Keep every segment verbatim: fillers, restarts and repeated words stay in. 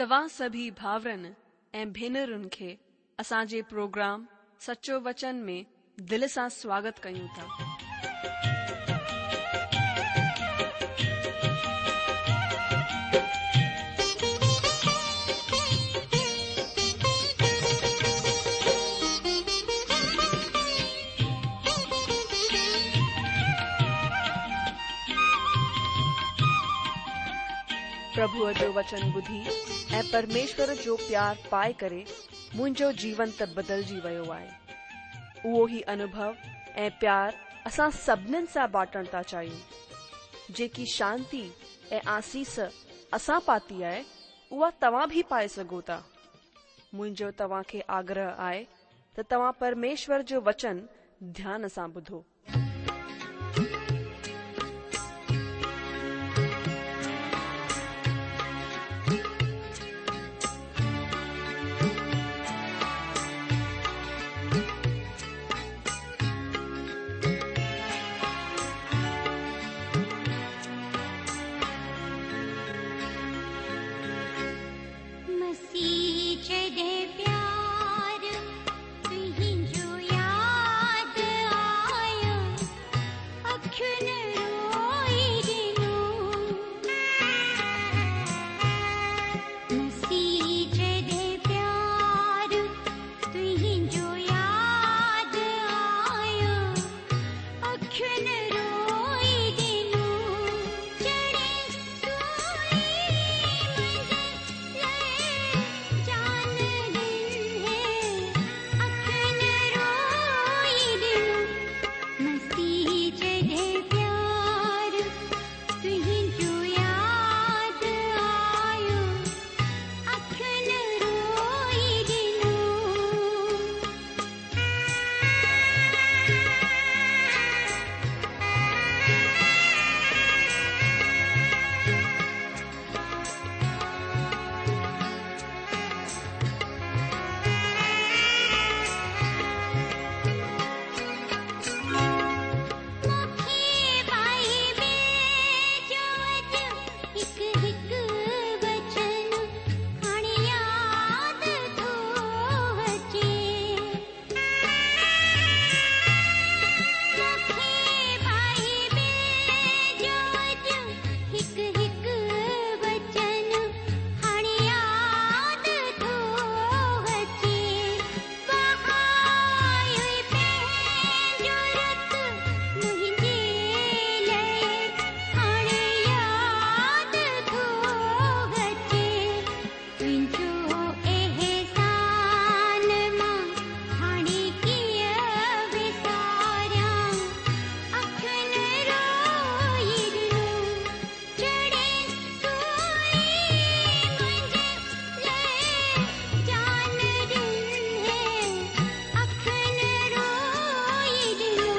توهان سڀئي ڀائرن ۽ ڀينرن کي اسان جي پروگرام سچو وچن ۾ دل سان سواگت ڪيون ٿا. پرڀوءَ جو وچن ٻڌي ۽ پرميشور جو پيار پائي ڪري منهنجو جيون ته بدلجي ويو آهي. اهو ئي انوڀو ۽ پيار اسان سڀنين سان بانٽڻ ٿا چاهيون. جيڪي شانتي ۽ آسيس اسان پاتي آهي، اها توهان به پائي سگهو ٿا. منهنجو توهان کي آگرهه آهي ته توهان پرميشور جو وچن ڌيان سان ٻڌو. मसीह जॾहिं प्यार तुंहिंजो यादि आयो, अखियुनि रोई ॾिनो। मसीह जॾहिं प्यार तुंहिंजो यादि आयो, अखियुनि रोई ॾिनो। चढ़े सूली मुंहिंजे लाइ जान ॾिनी, अखियुनि रोई ॾिनो। मसीह जॾहिं प्यार तुंहिंजो यादि आयो, अखियुनि रोई ॾिनो। मूंखे बाइबिल जो अॼु हिकु हिकु वचन हाणे यादि थो अचे। मूंखे बाइबिल जो अॼु हिकु हिकु वचन हाणे यादि थो अचे। वहायो पंहिंजो रत मुंहिंजे लाइ हाणे यादि थो अचे। तुंहिंजो एहसान मां हाणे कीअं विसारियां, अखियुनि रोई ॾिनो। चढ़े सूली मुंहिंजे लाइ जान ॾिनी, अखियुनि रोई ॾिनो।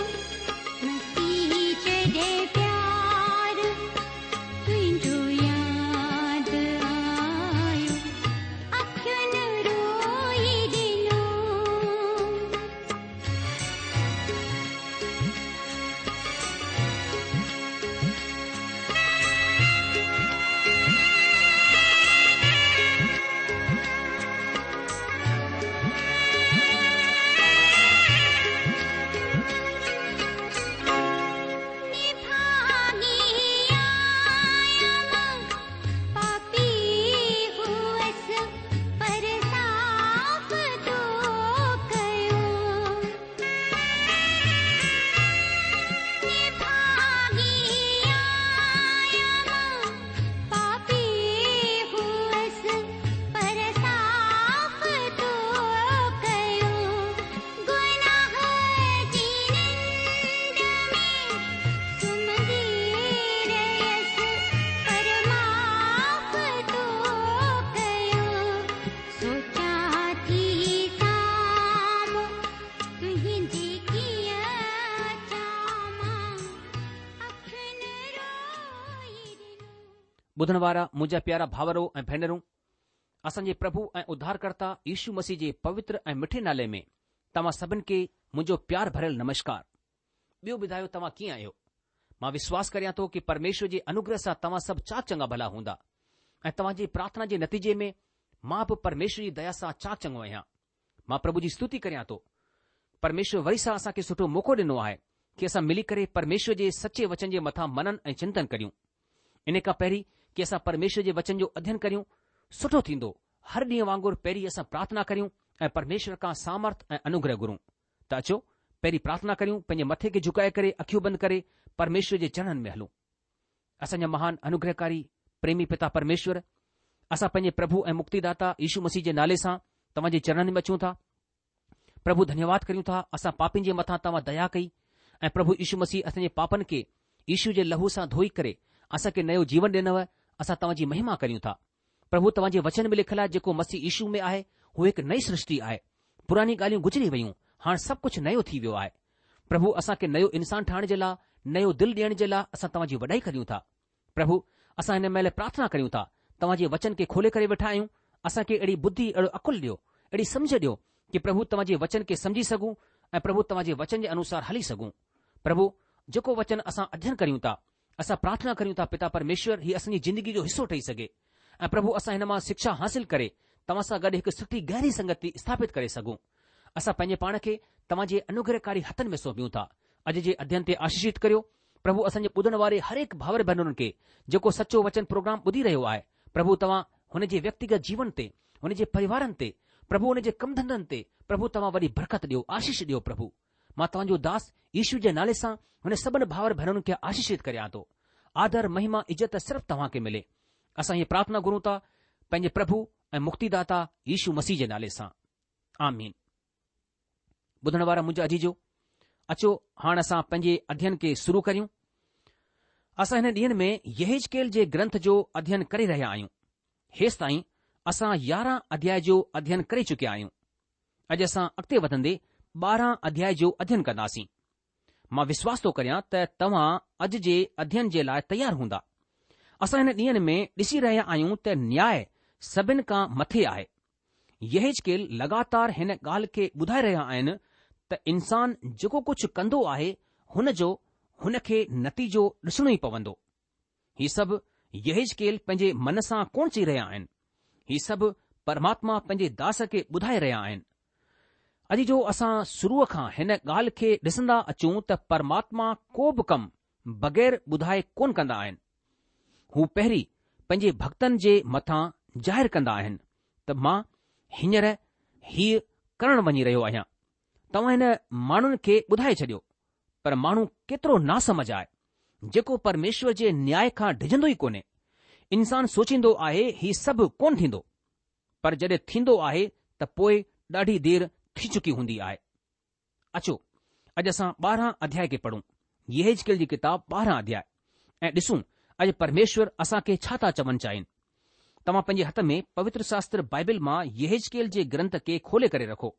मसीह जॾहिं प्यार तुंहिंजो यादि आयो, अखियुनि रोई ॾिनो। निभागी आहियां मां, पापी हुअसि पर साफ़ तो कयो। निभागी आहियां मां, पापी हुअसि पर साफ़ तो कयो। गुनाह जी निंड में सुम्हंदी रहियसि पर माफ़ तो कयो। सोचां थी साम्हूं तुंहिंजी कीअं अचां मां, अखियुनि रोई ॾिनो। ॿुधण वारा मुंहिंजा प्यारा भावरो ऐं भेनरूं, असांजे प्रभु ऐं उद्धारकर्ता यीशु मसीह जे पवित्र ऐं मिठे नाले में तव्हां सभिनि खे मुंहिंजो प्यार भरियल नमस्कार। ॿियो ॿुधायो तव्हां कीअं आहियो? मां विश्वास करियां थो की परमेश्वर जे अनुग्रह सां तव्हां सभु चाक चङा भला हूंदा ऐं तव्हांजी प्रार्थना जे नतीजे में مان به پرميشور جي ديا سان چاڪ چڱو آهيان. مان پرڀو جي ستوتي ڪريان ٿو. پرميشور وري سان اسان کي سٺو موقعو ڏنو آهي ڪي اسان ملي ڪري پرميشور جي سچي وچن جي مٿان منن ۽ چنتن ڪريون. ان کان پهرين ڪي اسان پرميشور جي وچن جو اڌين ڪريون، سٺو ٿيندو هر ڏينهن وانگر پهرين اسان پرارٿنا ڪريون ۽ پرميشور کان سامرٿ ۽ انوگره گهرون. ته اچو پهرين پرارٿنا ڪريون، پنهنجي مٿي کي جهڪائي ڪري اکيون بند ڪري پرميشور جي چرڻن ۾ هلون. اسان جا مهان انوگرهڪاري پريمي پتا پرميشور، اسان پنهنجي پرڀو ۽ مڪتيداتا يشو مسيح جي نالي سان توهان جي چرڻن ۾ اچون ٿا. پرڀو ڌنيواد ڪريون ٿا اسان پاپين جي مٿان توهان ديا ڪئي ۽ پرڀو يشو مسيح اسان جي پاپن کي يشو جي لهو سان ڌوئي ڪري اسان کي نيو جيون ڏنو، اسان توهان جي مهما ڪريون ٿا. پرڀو توهان جي وچن ۾ لکيل آهي جيڪو مسيح يشو ۾ آهي هو هڪ نئي سرشٽي آهي، پراڻي ڳالهيون گذري ويون، هاڻ سڀ ڪجهه نيو ٿي ويو آهي. پرڀو اسان کي نيو انسان ٺاهڻ جي لاء، نيو دل ڏيڻ جي لاء اسان توهان جي وڏائي ڪريون ٿا. پرڀو اسان هن مهل پرارٿنا ڪريون ٿا، توهان جي وچن کي کولي ڪري ويٺا آهيون، اسان کي اهڙي ٻڌي اهڙو عقل ڏيو، اهڙي سمجهه ڏيو ڪي پرڀو توهان جي وچن کي سمجهي سگهون ۽ پرڀو توهان جي وچن جي انوسار هلي سگهون. پرڀو جيڪو وچن اسان اڌين ڪريون ٿا، اسان پرارٿنا ڪريون ٿا پتا پرميشور هي اسان جي زندگي جو حصو ٺهي سگهي ۽ پرڀو اسان هن مان شکشا حاصل ڪري توهان سان گڏ هڪ سٺي گهري سنگتي اسٿاپت ڪري سگهون. اسان پنهنجي پاڻ کي توهان جي انوگرهڪاري هٿن ۾ سونپيون ٿا. اڄ جي اڌين تي آشيشت ڪريو. پرڀو اسان جي ٻڌڻ واري هر هڪ ڀائر ڀينرن کي جيڪو سچو وچن پروگرام ٻڌي رهيو آهي، پرڀو توهان هن جي ويڪتيگت جيون تي، هن جي پريوارن تي، پرڀو هن جي ڪم ڌنڌن تي پرڀو توهان وڏي برڪت ڏيو، آشيش ڏيو پرڀو. مان توهان جو داس يشو جي نالي سان هن سڀن ڀائر ڀينرن کي آشيشت ڪريان ٿو. آدر، مهما، عزت صرف توهان کي ملي. اسان هيء پرارٿنا گهرون ٿا پنهنجي پرڀو ۽ مڪتيداتا يشو مسيح جي نالي سان. آمين. ٻڌڻ وارا منهنجا عزيزو، اچو هاڻ اسان پنهنجي اڌين کي شروع ڪريون. اسان هن ڏينهن ۾ يحزقيل جي گرنٿ جو اڌين ڪري رهيا آهيون. هيستائين اسان يارهن اڌياء جو اڌين ڪري چڪيا آهيون. اڄ اسان اڳتي وڌندي ٻارهن اڌياء جو اڌين ڪنداسين. مان وشواس ٿو ڪريان ته توهان اڄ جي اڌين جي لاء تيار هوندا. اسان هن ڏينهن ۾ ڏسي رهيا آهيون ته نياء سڀن کان مٿي آهي. يحزقيل لڳاتار هن ڳالهه کي ٻڌائي رهيا آهن ته انسان جيڪو ڪجهه ڪندو آهي هن جو هن کي نتيجو ڏسڻو ئي پوندو. هي سڀ يحزقيل پنهنجي من سان ڪونه چئي رهيا آهن. هي سڀ پرماتما پنهنجي داس کي ٻڌائي رهيا آهن. اڄ جو اسان شروع کان هن ڳالهه کي ڏسندا اچون ته پرماتما ڪو به ڪم بغير ٻڌائي ڪونه ڪندا آهن. هو پهرين پنهنجي ڀڳتن جي مٿان ظاهر ڪندا آهن ته مان هينئر هيء ڪرڻ وڃي رهيو آهيان. توهان هن ماڻهن کي ٻڌائي ڇڏيو، پر ماڻهو ڪيترو ناسمجهه آهي، جيڪو پرميشور جي نياء کان ڊڄندو ئي ڪونهي. انسان سوچيندو آهي هي سڀ ڪونه ٿيندو، پر جڏهن ٿيندو آهي ته پوء ڏاڍي دير ٿي چڪي هوندي آهي. اچو اڄ اسان ٻارهن اڌياء کي پڙهون، يحزقيل جي ڪتاب ٻارهن اڌياء، ۽ ڏسون اڄ پرميشور اسان کي ڇا ٿا چوڻ چاهين. توهان پنهنجي هٿ ۾ پوتر شاستر بائبل مان يحزقيل جي گرنٿ کي کولي ڪري رکو.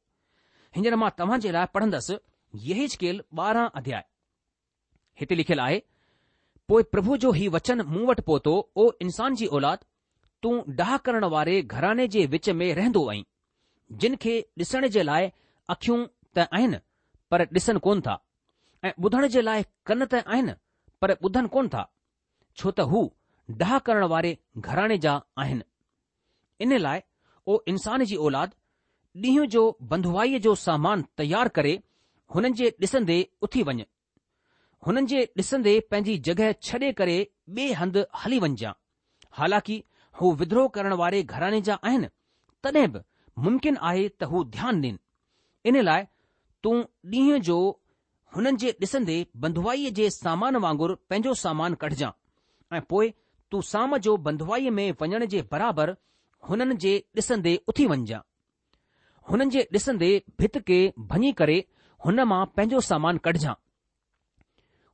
هينئر مان توهان جي لاء پڙهندس يحزقيل ٻارهن اڌياء. هتي لکيل آهي، پوء پرڀو جو هي وچن مون وٽ پهتو، او انسان جي اولاد، تون ڊاهه ڪرڻ واري گهراڻي جي وچ ۾ رهندو آهين، جن کي ڏسڻ جي لاء اکيون ته آهن پر ڏسن ڪونه ٿا، ۽ ٻڌڻ جي لاء ڪن ته آهن پر ٻڌن ڪونه ٿا، ڇو ته هو ڊاهه ڪرڻ واري گهراڻي جا آهن. ان لاء او انسان جي اولاد، ڏينهن جو بنڌوائيء جو سامان تيار ڪري هنن جي ڏسندي اٿي وڃ. هنن جي ڏسندي پنهنجي جڳهه ڇڏي ڪري ٻئي هنڌ هلي وڃجان. حالانڪه هو ودروهه ڪرڻ واري گهراڻي جا آهن، تڏهن به ممڪن آهي ته هو ڌيان ڏين. ان لاء تون ڏينهن جو هنن جي ڏسندي بنڌوائيء جي سامان وانگر پنهنجو سامان ڪڍجان ۽ پوء تون شام جو بنڌوائيء ۾ وڃڻ جي برابر هنن جي ڏسندي اٿي وڃجان. هنن جي ڏسندي ڀت کي ڀڃي ڪري هن مان پنهنجو سامان ڪڍجان.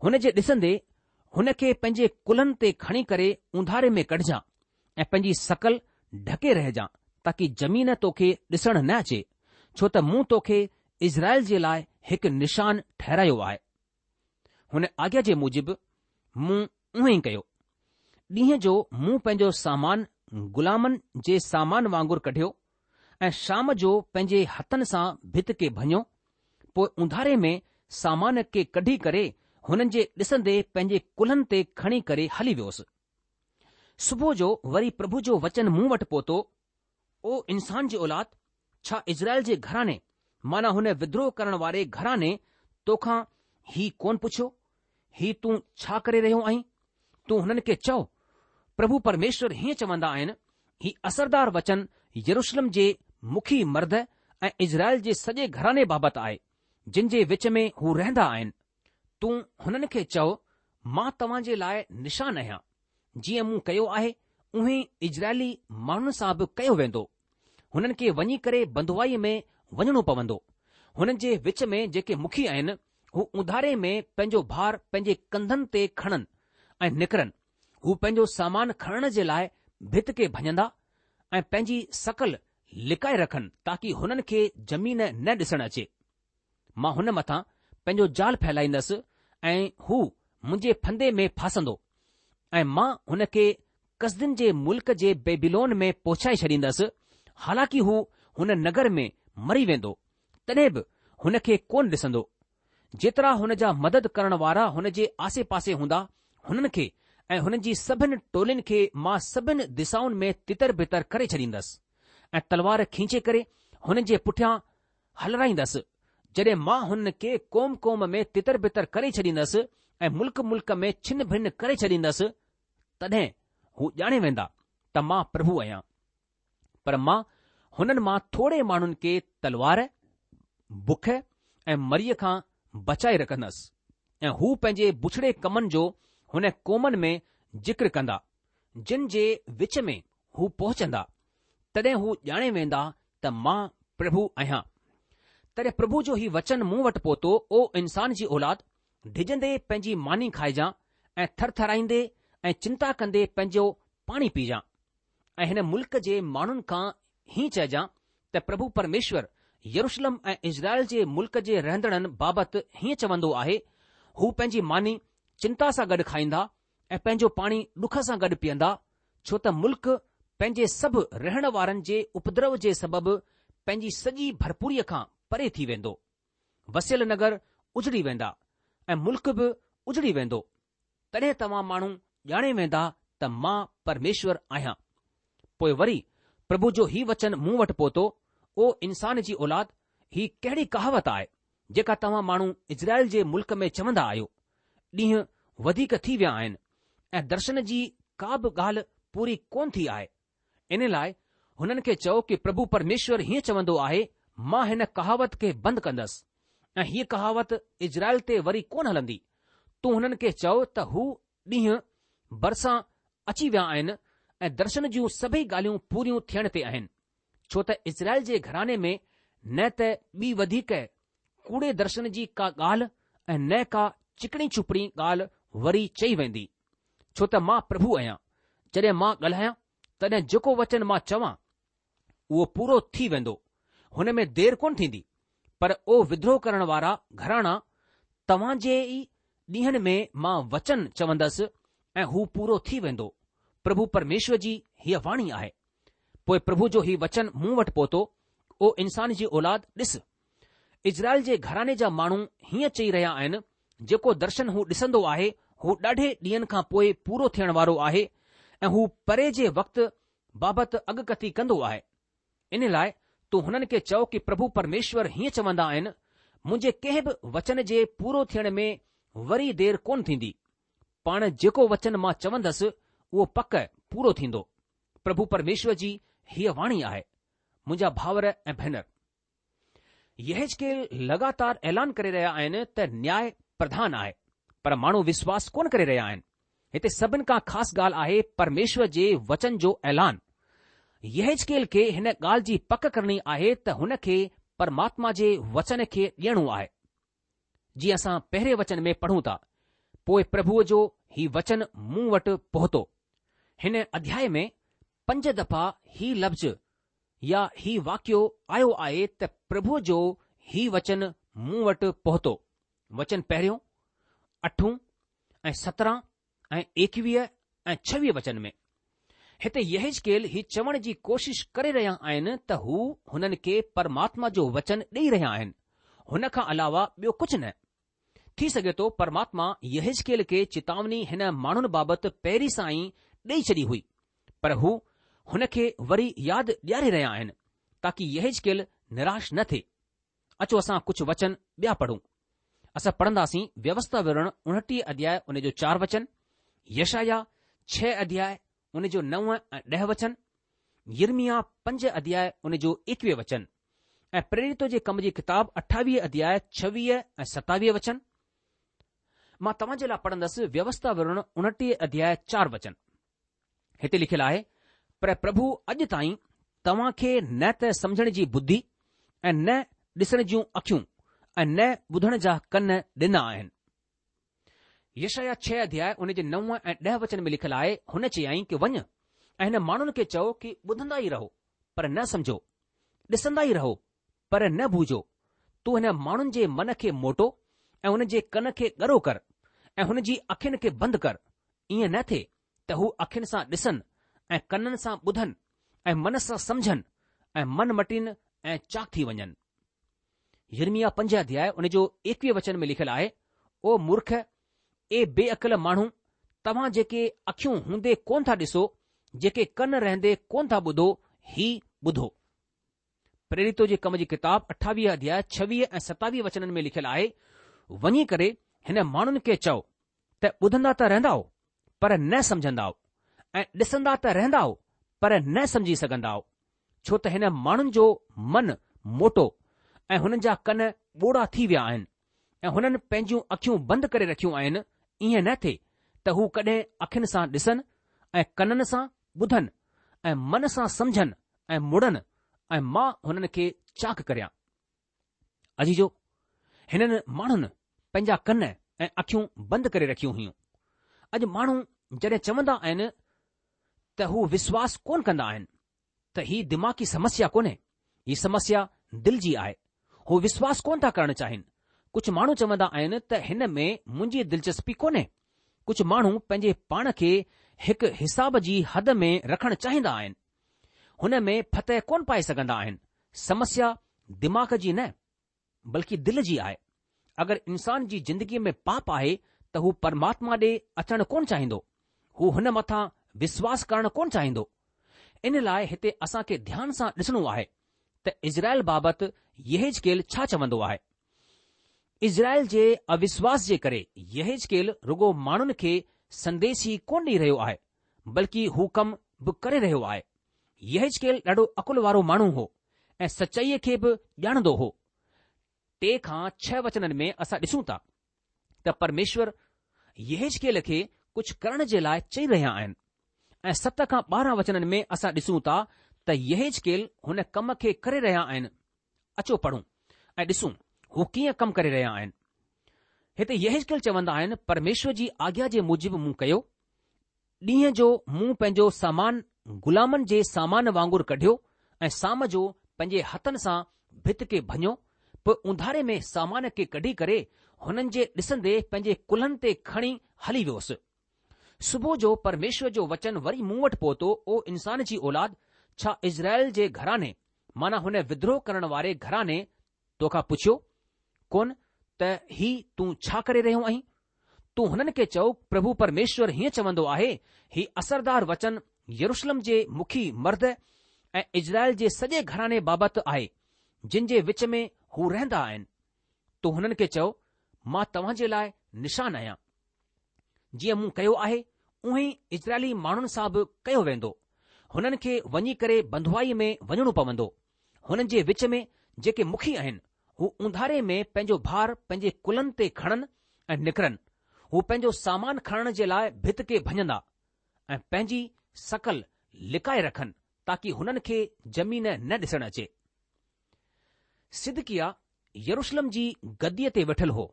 هن جي ڏسندي هن کي پنهنجي ڪلهن تي کڻي ڪري اونڌاري ۾ ڪڍجان ۽ پنهنجي شڪل ڍڪي رهجان تاڪي زمين توکي ڏسڻ نه اچي، ڇو ته مون توکي اسرائيل جي لاء هڪ نشان ٺهرايو آهي. هن آگيا جي موجب مون اونئين ئي ڪيو. ڏينهن جو مون پنهنجو سامان غلامن جي سامان وانگر ڪڍيو ۽ شام جو پنهنجي هٿن سان ڀت کي ڀڃو، پوء اونڌاري ۾ سامان کي ڪڍي ڪري هنن جي ڏسندي پنهنجي ڪلهن تي کڻي ڪري هلي ويوس. صبح جو وري پرڀو جو وچن مون وٽ پهتو، او انسان جي اولاد، ڇا اسرائيل جي گهراڻي معنيٰ هن ودروهه ڪرڻ واري گهراڻي توکان هي ڪونه پڇيو، هي تون ڇا ڪري رهيو آهين؟ تون هنن کي چئو، پرڀو پرميشور هيئن چوندا آهن، هي اثردار وچن يروشلم جي مکي مرد ۽ اسرائيل جي سڄي گهراڻي بابت آهي، جن جي وچ ۾ هو رهندا آهن. تون هنن کي چئو، مان توهان جي لاء نشان آهيان. جيئن مون ڪيو آهي، اونهي اسرائيلي ماڻهن سان به ڪيو ويندو. هنن کي وڃي ڪري بنڌوائيء ۾ وڃڻو پوندو. هنن جي وچ ۾ جيڪي مکي آهن، هو اونڌاري ۾ پنهنجو ڀار پنهنجي ڪنڌن تي کڻن ۽ نڪرن. هو پنهنجو سامان کڻڻ جي لاء ڀت کي ڀڃندا ۽ پنهنجي شڪل لڪائي رکن تاڪي هنن کي زمين نه ڏسڻ اچي. مان هن مٿان پنهنجو جال ڦهلائيندس ۽ هو منهنجي ڦندي ۾ ڦاسندو ۽ مان هن کي ڪسدين جي ملڪ جي بيبيلون ۾ پهچائي ڇڏيندس، حالانڪه هو هن نگر ۾ مري ويندو، تڏهن به هن کي ڪونه ڏسندو. جيترا هن جا مدد ڪرڻ وارا هن جي آسي پاسي هوندا، هنن کي ۽ هنن جي سڀن ٽولين کي مان سڀن دسائن ۾ تتر بتر ڪري ڇڏيندس ۽ تلوار کينچي ڪري هنن جي پٺيان هلرائيندس، جڏهن مان هنن کي قوم قوم ۾ تتر بتر ڪري ڇڏيندس ۽ ملڪ ملڪ ۾ ڇن ڀن ڪري ڇڏيندس، تڏهن هو ڄاڻي ويندا ته مان پرڀو آهيان. پر مان هنن مان ٿوري ماڻهن کي تلوار، بک ۽ مريء کان بچائي رکندس ۽ هو پنهنجي بڇڙي ڪمن جو هن قومن ۾ ذڪر ڪندا، جن جي وچ ۾ هو پهچندا، تڏهن هو ڄاڻي ويندا ته مان پرڀو آهيان. تڏهن پرڀو جو هي وچن مون وٽ پهتو، او انسان جي اولاد، ڊڄندي پنهنجي ماني کائجان ۽ ٿرٿرائيندي ۽ چنتا ڪندي پنهنجو پاڻي پيجان. ۽ هن ملڪ جي ماڻهن کان هيئن چئجان ته پرڀو پرميشور يروشلم ۽ اسرائيل جي ملڪ جي رهندڙن بابت هيئن چوندو آهي، هو پنهنجي ماني چنتا سان گڏ کائيندا ۽ پنهنجو پاڻي ڏک سان گڏ پيئندا، ڇو ته ملڪ پنهنجي سڀ رهڻ وارن جي اپدرو جي سبب پنهنجي سڄي ڀرپوريء کان پري ٿي ويندو. وسيل نگر اجڙي ويندا ۽ ملڪ به اجڙي ويندو. تڏهن توهان ماڻهو ڄاڻي ويندا ته مان پرميشور آهيان. پوء وري پرڀو جو هي وچن مون وٽ پهتو، او انسان جي اولاد، هي ڪهڙي ڪهاوت آهي، جيڪا توهان ماڻهو اسرائيل جي ملڪ ۾ چوندا آهيو، ڏينهن وڌيڪ ٿي ويا آهن ۽ درشن جي ڪا به ڳالهه پوري ڪونه ٿي آهي. ان لاء هنن کي چئو ڪي پرڀو پرميشور هيئن چوندو آهي، مان هن ڪهاوت کي بند ڪندس ۽ هيء ڪهاوت اسرائيل تي وري ڪونه هلندي. تون هنن کي چئو ته هو ڏينهن ڀرسان اچي ويا آهن ۽ درشن جون سڀئي ڳالهيون پوريون ٿيڻ تي آهن، ڇو ته اسرائيل جي گهراڻي ۾ نه ته ٻي وڌيڪ ڪوڙي درشن جي ڪا ڳالهه ۽ نه ڪا چڪڻي چپڻي ڳالهه وري چئي ويندي. ڇو ته مان پرڀو آهيان، جڏهن مان ڳالهايان، تڏهن جيڪو وچن مان چوان، اهو پورو ٿي ويندو، هن ۾ دير ڪونه ٿيندي. پر او ودروهه ڪرڻ وارا گهراڻا، توهان جي ئي ڏينهن ۾ مان وچن چوندس ۽ هو پورو ٿي ويندو، پرڀو پرميشور جي هيء واڻي آهي. پوء پرڀو جو هي وچن مون وٽ پهتو، او انسان جي اولاد، ڏس، اسرائيل جي گهراڻي جا ماڻهو هيئن چئي رهيا آهن، جيڪو درشن هو ڏسندو آهي، هو ڏاڍي ڏينهن کان پوء پورو ٿيڻ وارو آهي ۽ هو پري جي وقت بابت اڳڪٿي ڪندو آهي. ان لاء تون هنن کي چئو ڪي پرڀو پرميشور هيئن چوندا آهن، منهنجي ڪنهن به وچن جي پورو ٿيڻ ۾ وري دير ڪونه ٿيندي. پاڻ جيڪو وچن مان چوندس، اهو پڪ پورو ٿيندو. پرڀو پرميشور جي هيء واڻي آهي. منهنجا ڀائر ۽ ڀينر! يحيزڪيل لڳاتار اعلان ڪري رهيا آهن ته نياء پرڌان آهي، پر ماڻهو وشواس ڪونه ڪري رهيا آهن. هتي سڀن کان خاص ڳالهه آهي پرميشور جي وچن جو اعلان. يحيزڪيل کي هن ڳالهه جي پڪ ڪرڻي آهي ته هن کي پرماتما جي وچن کي ڏيڻو آهي. جيئن اسان پهرين وچن ۾ پڙهون ٿا، پوء پرڀوء جو هي وچن مون وٽ پهتو. هن اڌياء ۾ پنج دفعا هي لفظ يا هي واقعو آيو آهي ته پرڀوء جو هي وچن مون وٽ پهتو. وچن پهريون، اٺون ۽ سترهن ۽ ايڪويهه ۽ ڇويهه وچن ۾. هتي يحيزڪيل هي چوڻ جي ڪوشش ڪري رهيا آهن ته هو هنن کي پرماتما جو وچن ڏئي رهيا آهن، هن کان علاوه ٻيو ڪجهه نه. ٿي سگهي ٿو پرماتما يحيزڪيل کي چتاوني هن ماڻهن بابت پهرين سان ئي ڏئي ڇڏي هئي، پر هو هن کي وري ياد ڏياري رهيا آهن تاڪه يحزقيل نراش نه ٿئي. اچو اسان ڪجهه وچن ٻيا پڙهون. اسان پڙهنداسين ويوسٿا وورڻ اڻٽيهه اڌياء ان جو چار وچن، يشعيا ڇهه اڌياء ان جو نو ۽ ڏهه وچن، يرمياه پنج اڌياء ان جو ايڪويهه وچن ۽ پريريتو جي ڪم جي ڪتاب اٺاويهه اڌياء ڇويهه ۽ ستاويهه وچن. مان توهان جي لاء پڙهندس ويوسٿا وورڻ اڻٽيهه اڌياء چار وچن. هتي لکيل آهي، پر پرڀو اڄ تائين توهان کي نه ته سمجهڻ جي ٻڌي ۽ نه ڏسڻ جون اکيون ۽ نه ٻڌڻ جا ڪن ڏنا آهن. يشعيا ڇهه اڌياء ان جي نو ۽ ڏهه وچن ۾ لکيل آهي، هن چيائين ڪه وڃ ۽ هن ماڻهن کي چئو ڪه ٻڌندا ئي رهو پر نه سمجهو، ڏسندا ئي رهو پر نه بوجهو. تون هن ماڻهن جي من کي موٽو ۽ هن جي ڪن کي ڳرو ڪر ۽ هن جي اکين کي بند ڪر، ائين نه ٿئي ته هو اکين سان ڏسن ۽ ڪنن سان ٻڌن ۽ من سان سمجهن ۽ من مٽين ۽ چاڪ ٿي وڃن. يرمياه پنج اڌياء ان جو ايڪويهه وچن ۾ لکيل آهي، او مورک، اي بي عقل ماڻهو، توهان جيڪي اکيون هوندي ڪونه ٿا ڏسو، جيڪي ڪن رهندي ڪونه ٿا ٻڌو، هي ٻڌو. پريريتو جي ڪم جي ڪتاب اٺاويهه اڌياء ڇويهه ۽ ستاويهه وچنن ۾ لکيل آهي، وڃي ڪري هن ماڻهن کي چئو ته ٻڌندا ته رهندائو پر نه سمجهندائو ۽ ڏسندا ته رهندائو پر نه سمجهي سگهندائو، ڇو ته هن ماڻهن جو من موٽو ۽ هنن جا ڪن ٻوڙا ٿي ويا آهن ۽ هنن پنهنجون اکيون بند ڪري رکيون آهن، ائين نه ٿئي ته هو ڪڏهن اکين سان ڏسن ۽ ڪنن سان ٻڌن ۽ من سان سمجهن ۽ مڙن ۽ مان هنن کي چاڪ ڪريان. عزيزو، هنن ماڻهن پنهنجا ڪن ۽ اکيون بند ڪري رکيون هيون. اڄ ماڻهو جڏهن چوندا آهن ته هو وشواس ڪونه ڪندا آهن ته هي دماغي سمسيا ڪونهي، هي سمسيا دل جي آهي. هو وشواس ڪونه ٿا ڪرڻ چاهين. ڪجهه ماڻهو چوندا آهن ته هن ۾ منهنجي دلچسپي ڪونهي. ڪجهه ماڻهو پنهنجي پاڻ کي هڪ حساب جي حد ۾ رکڻ چاهيندا آهن. هن ۾ فتح ڪونه پائي سگهندا آهن. سمسيا دماغ جي نه بلڪه دل جي آهي. اگر انسان جي زندگيء ۾ پاپ آهي ته هو پرماتما ڏي اچڻ ڪونه چاهيندو. هو هن مٿان وشواس ڪرڻ ڪونه چاهيندو. ان لاء هتي اسان کي ڌيان سان ڏسڻو آهي ته اسرائيل بابت يحزقيل ڇا چوندو آهي. اسرائيل جي اوشواس جي ڪري يحزقيل رڳو ماڻهن کي سنديش ئي ڪونه ڏئي رهيو آهي بلڪه هو ڪم به ڪري رهيو آهي. يحزقيل ڏاڍو عقل وارو ماڻهو هو ۽ سچائيء کي به ڄاڻندو هو. ٽي کان ڇهه وچنن ۾ اسان ڏسون ٿا ته پرميشور يحزقيل کي ڪجهه ڪرڻ جي لاء چئي رهيا آهن ۽ ست کان ٻارهن وچنن ۾ اسان ڏسون ٿا ته يحزقيل هن ڪم کي ڪري رهيا آهن. اچو پڙهون ۽ ڏسون هو ڪيئن ڪم ڪري رهيا آهن. هتي يحزقيل چوندا آهن، پرميشور جي آگيا جي موجب مون ڪيو. ڏينهن جو مون پنهنجو سامان غلامن جي سامان وانگر ڪڍيو ۽ شام جو پنهنجي هٿن سان ڀت کي ڀڃو، پوء اونڌاري ۾ سامان کي ڪڍي ڪري هنن جي ڏسندي پنهنجي ڪلهن تي کڻي هلي ويوس. صبح جو پرميشور جو وچن وري مون وٽ پهتو، او انسان جي اولاد، ڇا اسرائيل جي گهراڻي، معنيٰ هن ودروهه ڪرڻ واري گهراڻي توکان پڇيو ڪونه ته هي تون ڇا ڪري رهيو آهين؟ تون هنن کي چئو، پرڀو پرميشور هيئن چوندو آهي، هي اثردار وچن يروشلم جي مکي مرد ۽ اسرائيل جي سڄي گهراڻي بابت آهي، جن جي وچ ۾ هو رهندا آهن. تون هنن کي چئو، مان توهان جي لاء نشان آهيان. جيئن مون ڪيو آهي، اونهين ئي اسرائيلي ماڻهن سان به ڪيو ويندو. هنن کي وڃي ڪري بنڌوائيء ۾ وڃڻو پوندو. هنن جي وچ ۾ جيڪي مکي آهن، هو اونڌاري ۾ پنهنجو ڀار پنهنجي ڪلهن تي کڻن ۽ نڪرن. هو پنهنجو سامان کڻڻ جي لاء ڀت کي ڀڃندا ۽ پنهنجي شڪل لڪائي رکن تاڪي هنن کي زمين نه ڏسڻ اچي. صدقياه يروشلم جي گديء تي ويٺل هو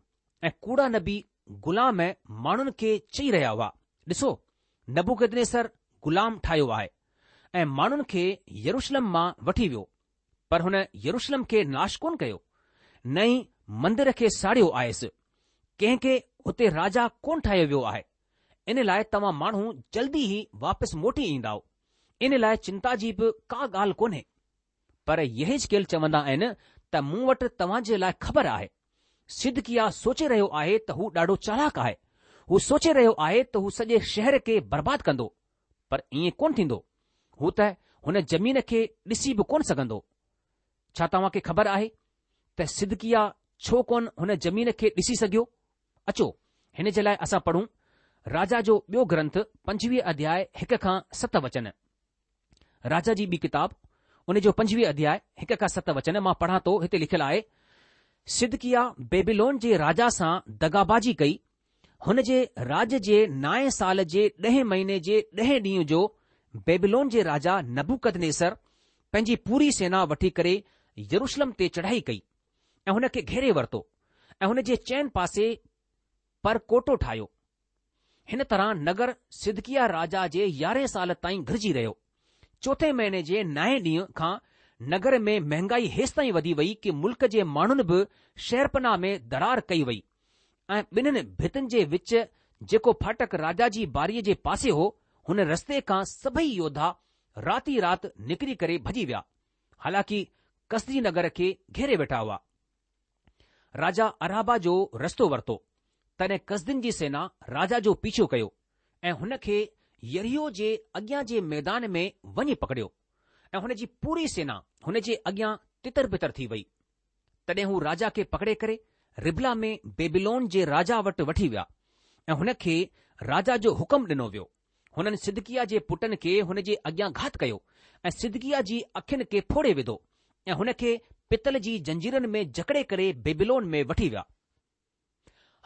۽ ڪوڙا نبي غلام ماڻهن کي چئي رهيا هئا، ڏسو، نبوڪدنيسر غلام ٺاهيو آهي ۽ ماڻهن کي يروشلم مان وٺي ويو، پر هن يروشلم کي ناش ڪونه ڪيو، نه ئي مندر کي ساڙيو آهيس، ڪنهن کي هتي راجا ڪونه ٺاهيو ويو آهي، ان لاء توهان ماڻهو جلدي ئي واپس موٽي ايندائو، ان لاء چنتا جي به ڪا ڳالهه ڪونهي. پر يحزقيل چوندا آهن ته مون وٽ توهان جي لاء خبر آهي. صدقياه سوچي رهيو آهي ته هو ڏاڍو چالاڪ آهي. هو سوچي رهيو آهي ته هو سڄي شهر کي برباد ڪندو. پر ائين ڪونه ٿيندو. هو ته هن زمين کي ڏسي به ڪونه سگهندو. ڇا توهان کي خبر آهي ته صدقياه ڇو ڪونه هن زمين کي ڏسي سگهيو؟ اچو هن جي لاء اسان پڙهون راجا جو ٻيو گرنٿ پنجويهه اڌياء هڪ کان ست وچن. راجا جي ٻي ڪتاب ان جو پنجويهه اڌياء هڪ کان ست وچن مان پڙهان ٿو هتي لکيل آهي صدقياه بيبيلون جي راجا سان دغابازي ڪئي هن جي راڄ جي نائين سال جي ڏهين مهيني جي ڏهين ڏينهن جو بيبيلون جي راجا نبوڪدنيسر پنهنجي پوري سينا وٺي ڪري يروشلم تي چڙهائي ڪئي ۽ هن کي گهيري ورتو ۽ هن جي چئن پاسي پرڪوٽو ٺاهيو. هن طرح نگر صدقياه راجا جي يارهين سال تائين گهرجي رهيو. چوٿين مهيني جي نائين ڏينهن کان نگر ۾ مهنگائي هيستائين وڌي وئي ڪي ملڪ جي ماڻهن به شهرپناهه ۾ دراڙ ڪئي وئي ۽ ٻنهين ڀتين جي وچ جيڪو ڦاٽڪ راجا جي ٻاريء جي پاسي هو، هن رستي کان سڀئي يوڌا رات ئي رات نڪري ڪري ڀڄي ويا، حالانڪه ڪسدي نگر کي گهيري ويٺا هئا. راجا ارابا جو رستو ورتو، تڏهن ڪسدين جي سينا راجا جو پيڇو ڪيو ۽ هن کي يريحو جي اڳيان جي ميدان ۾ وڃي پڪڙيو ۽ هن جي پوري سينا هن جي اڳيان تتر بتر ٿي وئي. تڏهن هو راجا کي پڪڙي ڪري ربلا ۾ بيبيلون جي راجا وٽ وٺي ويا ۽ هن کي راجا جو حڪم ڏنو ويو. هنن صدقياه جي پٽن کي هن جي اڳيان گهات ڪيو ۽ صدقياه جي اکين کي ڦوڙي وڌو ۽ هن کي پتل جي زنجيرن ۾ جڪڙي ڪري بيبيلون ۾ وٺي ويا.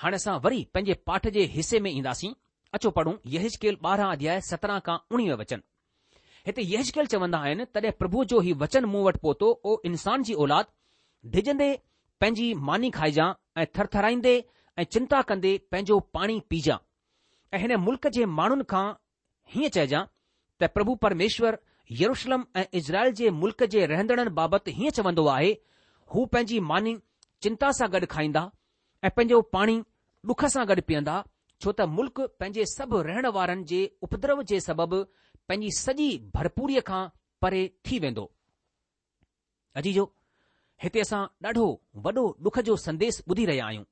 هاڻي اسان وري پنهنجي پاٺ جي حصي ۾ اينداسين. اچو پڙهون يحزقيل ٻارهن اڌياء سترهن کان اڻويهه وچن. هتي يحزقيل چوندا آهن، تڏهن پرڀوء جو هي وچن مون وٽ پهتو، او انسان جي اولاد، ڊڄندي پنهنجي ماني کائجان ۽ ٿرٿرائيندي ۽ چنتا ڪندي پنهنجو پاڻي پيجان ۽ هن ملڪ جي ماڻهن کان هيئن چئجان ته پرڀو پرميشور يروشلم ۽ اسرائيل جي ملڪ جي رهندڙن بابت هيئن چوندو آهي، هو پنهنجي ماني چنتا سان گڏ کائيندا ۽ پنهنجو پاڻي ڏک سان گڏ پيئندا، ڇو ته ملڪ پنهنجي سڀ رهڻ وارن جي اپدرو جي سبب پنهنجي سڄي ڀرپوريء کان پري ٿي ويندو. عزيزو، هتي اسان ڏاڍو وڏو ڏک جو سنديش ٻڌي رهيا آهيون.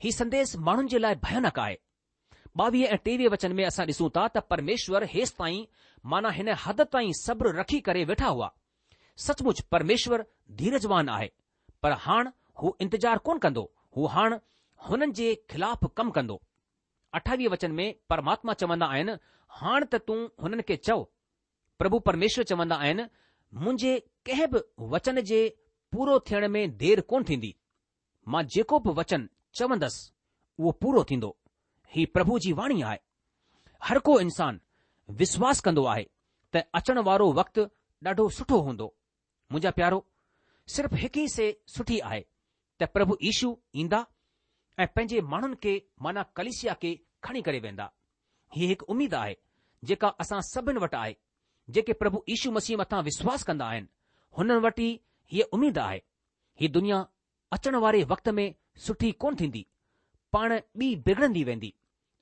هي سنديش ماڻهن جي لاء ڀيانڪ آهي. ٻاويهه ۽ ٽيويهه وچن ۾ اسان ڏسون ٿا ته پرميشور هيستائين معنيٰ هن حد تائين صبر رکي ڪري ويٺا هئا. سچ مچ پرميشور ڌيرجوان آهي، پر هاڻ هو انتظار ڪونه ڪندو، هو هاڻ هنن جي خلاف ڪم ڪندو. اٺاويهه وچن ۾ پرماتما چوندا آهن، هاڻ ته تون هنن کي چئو، پرڀو پرميشور چوندا آهن، منهنجي ڪنهن به وچن جي پورو ٿيڻ ۾ دير ڪونه ٿيندي. مان جيڪو به وچن چوندس، اهو پورو ٿيندو. هي پرڀو جي واڻي آهي. هر ڪو انسان وشواس ڪندو آهي ته اچڻ وارو وقت ڏاڍو سٺو هوندو. منهنجا پيارو، صرف هڪ ئي شيء سٺي آهي ته پرڀو يشو ايندا ۽ پنهنجي ماڻهن کي معنيٰ ڪليسيا کي کڻي ڪري ويندا. هيء هڪ اميد آهي جيڪا اسان سڀن وٽ آهي. جيڪي پرڀو يشو مسيح مٿان وشواس ڪندا آهن، هنن وٽ ئي هيء اميد آهي. هي دنيا اچڻ واري وقت ۾ سٺي ڪونه ٿيندي، پاڻ ٻي بگڙندي ويندي.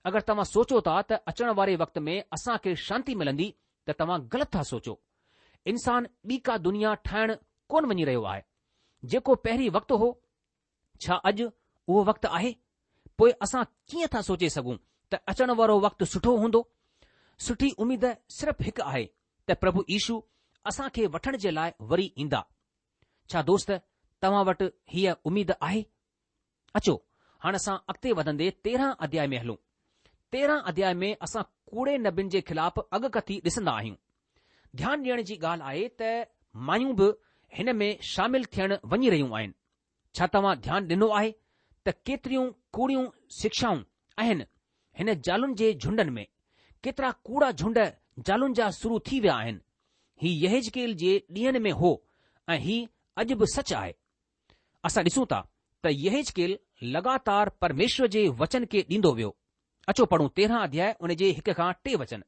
اگر توهان سوچو ٿا ته اچڻ واري وقت ۾ اسان کي شانتي ملندي ته توهان غلط ٿا سوچو. انسان ٻي ڪا دنيا ٺاهڻ ڪونه وڃي رهيو آهي. جيڪو پهرين وقت هو، ڇا اڄ اهو وقت آهي؟ پوء اسان ڪيئن ٿا سوچي سگهون ته اچڻ وارو وقت سٺو هوندو؟ سٺي اميد صرف هڪ آهي ته پرڀو يشو اسان کي وٺڻ جي لاء وري ايندا. ڇا دوست توهان وٽ هيء اميد آهي؟ اچو هاڻ اسان اڳتي وڌندي تيرهن اڌياء ۾ هلون. تيرهن اڌياء ۾ اسان ڪوڙي نبين جي خلاف اڳڪٿي ڏسندا آهيون. ڌيان ڏيڻ جي ڳالهه آهي ته مايون به هن ۾ شامل ٿيڻ وڃي رهيون آهن. ڇا توهان ڌيان ڏنو آهي ته ڪيتريون ڪوڙيون شڪشائون آهن هن زالن جي جهنڊن ۾؟ ڪيترا ڪوڙا جهنڊ زالن جا شروع ٿي ويا آهن. هي يحزقيل جي ڏينهن ۾ هو ۽ هي اڄ به سچ آهي. اسان ڏسون ٿا ته يحزقيل لڳاتار پرميشور جي وچن کي ڏيندو ويو. اچو پڙهون تيرهن اڌياء ان جي هڪ کان ٽي وچن.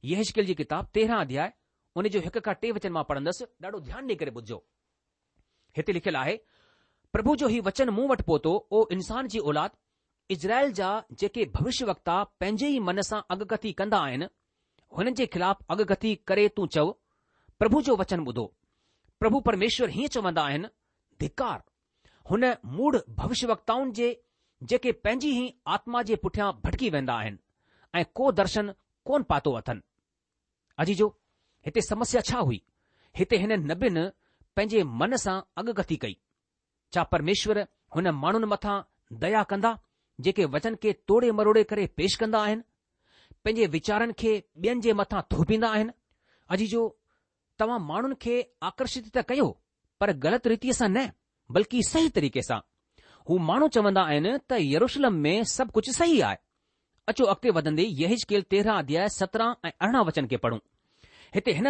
يحزقيل جي ڪتاب تيرهن اڌياء ان جو هڪ کان ٽي وچن مان پڙهندس، ڏاڍو ڌيان ڏيئي ڪري ٻڌجو. هتي لکيل آهي، پرڀو جو هي وچن مون وٽ پهتو، او انسان جي اولاد، اسرائيل جا جيڪي ڀوشيه وڪتا پنهنجي ئي من سان اڳڪٿي ڪندا آهن، هنن جي خلاف اڳڪٿي ڪري تون چئو، پرڀو جو وچن ٻڌو. پرڀو پرميشور هيئن چوندا آهن، ڌڪار! هن موڙهه ڀوشيه وڪتائن جي جيڪي پنهنجي ئي آتما جي پٺيان ڀٽڪي ويندا آهن ۽ ڪو درشن ڪونه پاتو اٿن. عزيزو! هتي سمسيا ڇا هئي؟ هتي هن نبين پنهنجي من سان اڳڪٿي ڪئي. ڇا پرميشور هن ماڻهن مٿان ديا ڪندا جيڪي وچن کي توڙي مروڙي ڪري پيش ڪندا آهن، پنهنجي ويچارن کي ٻين جي مٿان ٿوپيندا آهن؟ عزيزو، توهان ماڻهن کي آڪرشت ته ڪيو، پر غلط ريتيء سان نه، بلڪه صحيح طريقي سان. هو ماڻهو چوندا آهن ته يروشلم ۾ سڀ ڪجهه صحيح آهي. اچو اڳتي وڌندي يحزقيل تيرهن اڌياء سترهن ۽ ارڙهن وچن کي پڙهون. هتي هن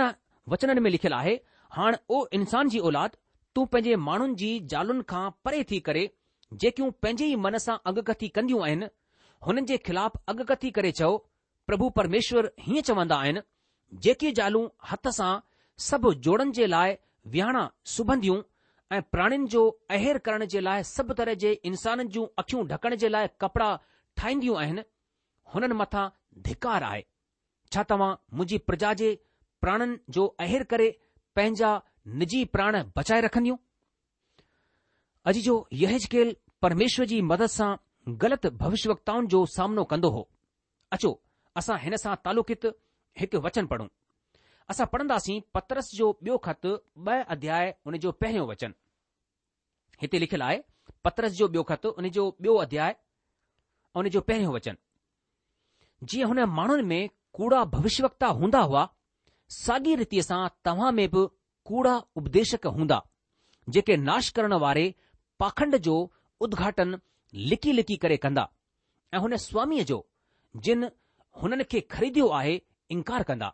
وچنن ۾ لکيل آهي، هاڻ او انسان جي اولاد، تون پنهنجي ماڻهن جي زالن کان پري ٿي ڪري جيڪيون پنهنجي ئي من سان اڳڪٿي ڪنديون آهن، هنن جي خلاف اڳڪٿي ڪري چئو، پرڀو پرميشور هيئن چوندا آهن، جيڪي زالون هٿ سان سڀ جوڙن جي لاء وهاڻا سبنديون ۽ پراڻين جو اهير ڪرڻ جي لاء سڀ طرح جي انسانن جون اکيون ڍڪڻ جي لاء ڪپڙا ٺاهينديون آهن، هنن مٿان ڌڪار آهي. ڇا توهان منهنجي پرجا جي پراڻن جو اهير ڪري پنهنجا نجي پراڻ بچائي رکنديون؟ عزيزو، يحزقيل پرميشور جي مدد سان غلط ڀوشيوڪتائن جو سامنو ڪندو هو. اچو اسان هن سان تعلقيت هڪ وچن پڙهون. اسان پڙهنداسين پطرس جو ٻيو خط ٻه اڌياء ان جو پهريون وچن. هتي لکيل آهي، پطرس جو ٻيو خط ان جو ٻيو اڌياء ان جو پهريون وچن. جيئن هن ماڻهن ۾ ڪوڙا ڀوشيوڪتا هوندا هئا، ساڳي ريتيء سان توهان ۾ به ڪوڙا اپديشڪ هوندا، جيڪي ناش ڪرڻ واري پاکنڊ جو ادگهاٽن لڪي لڪي ڪري ڪندا ۽ هن سواميء جو جن هنن کي خريديو آهي انڪار ڪندا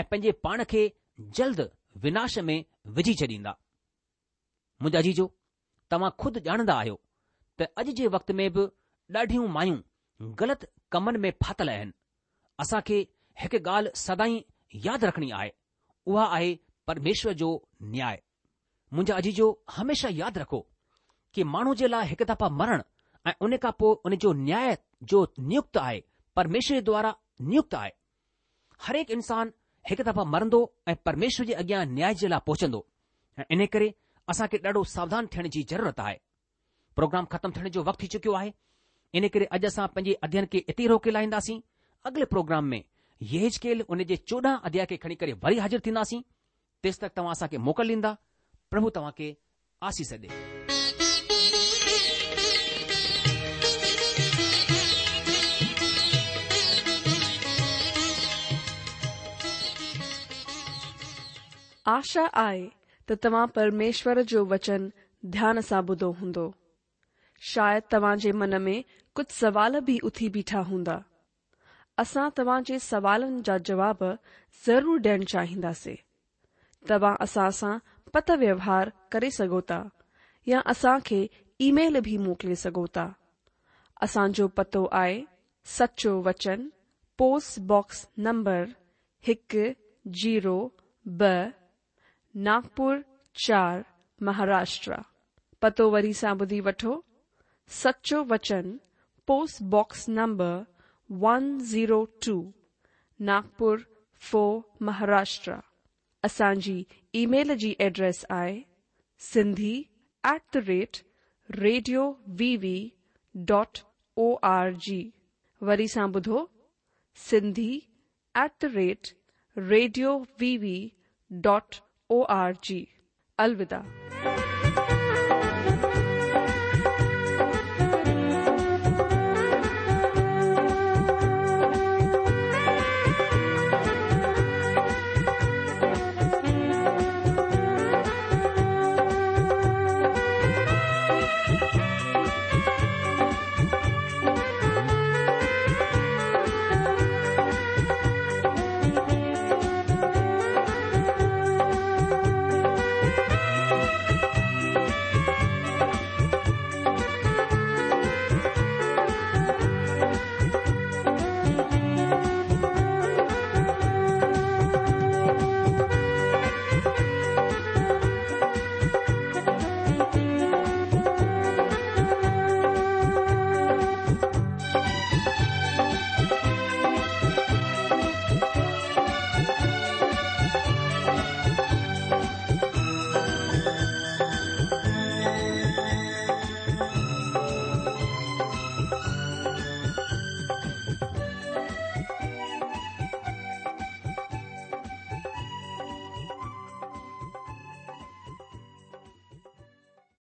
۽ پنهنجي پاڻ کي جلد وناش ۾ وجهي ڇڏيندا. منهنجا عزيزو، توهان خود ڄاڻندا آهيو ته اڄ جي وقت ۾ به ڏاڍيون مايون غلط ڪمن ۾ ڦاٿل آهن. اسان کي هڪ ڳالهه سدائين ياد رکڻي آهي، اها آهي پرميشور جو نياء. منهنجا عزيزو، هميشه ياد رکو ڪي ماڻهو جي لاء هڪ دفعا مرڻ ۽ ان کان پوء ان جو نياء جو نيڪت آهي، پرميشور جي دوارا نيڪت آهي. هرهڪ انسان هڪ دفعا مرندو ۽ پرميشور جي اڳيان نياء جي لاء پهچندو ۽ ان ڪري اسان کي ڏاڍو ساوڌان ٿيڻ جي ضرورت آهي. پروگرام ختم ٿيڻ جو وقت ٿي چڪيو آهي، ان ڪري اڄ اسان پنهنجي اڌيين کي اتي روڪي لاهينداسين. اڳلي پروگرام ۾ يحزقيل ان جي چوڏهن اڌياء کي کڻي ڪري وري حاضر ٿينداسين. تيستڪ توهان اسان کي موڪل ڏيندا. پرڀو توهان کي آسيس ڏي. آشا آهي ته توهان پرميشور جو وچن ڌيان سان ٻڌو هوندو. شايد توهان جي من ۾ ڪجهه سوال به اٿي بيٺا هوندا. اسان توهان جي سوالن جا جواب ضرور ڏيڻ چاهينداسين. توهان اسان سان پتر ويوهار ڪري سگهو ٿا يا اسان کي اي ميل به موڪلي سگهو ٿا. اسان جو پتو آهي سچو وچن، پوسٽ باڪس نمبر هڪ زيرو ٻه، ناگپور چار، مهاراشٽر. پتو وري سان ٻڌي وٺو، سچو وچن، post box number one zero two, Nagpur four, Maharashtra. اسان جي اي ميل جي ايڊريس آهي Sindhi at the rate radio V V dot O R G. وري سان ٻڌو، Sindhi at the rate radio V V dot O R G. الوداع.